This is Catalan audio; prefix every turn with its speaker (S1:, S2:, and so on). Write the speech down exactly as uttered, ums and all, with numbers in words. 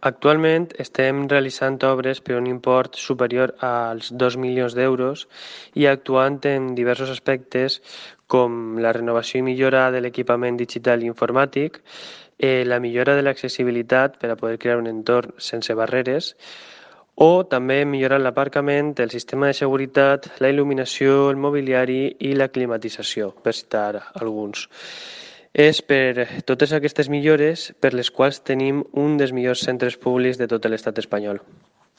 S1: Actualment estem realitzant obres per un import superior als dos milions d'euros i actuant en diversos aspectes com la renovació i millora de l'equipament digital i informàtic, eh, la millora de l'accessibilitat per a poder crear un entorn sense barreres o també millorant l'aparcament, el sistema de seguretat, la il·luminació, el mobiliari i la climatització, per citar alguns. És per totes aquestes millores per les quals tenim un dels millors centres públics de tot l'estat espanyol.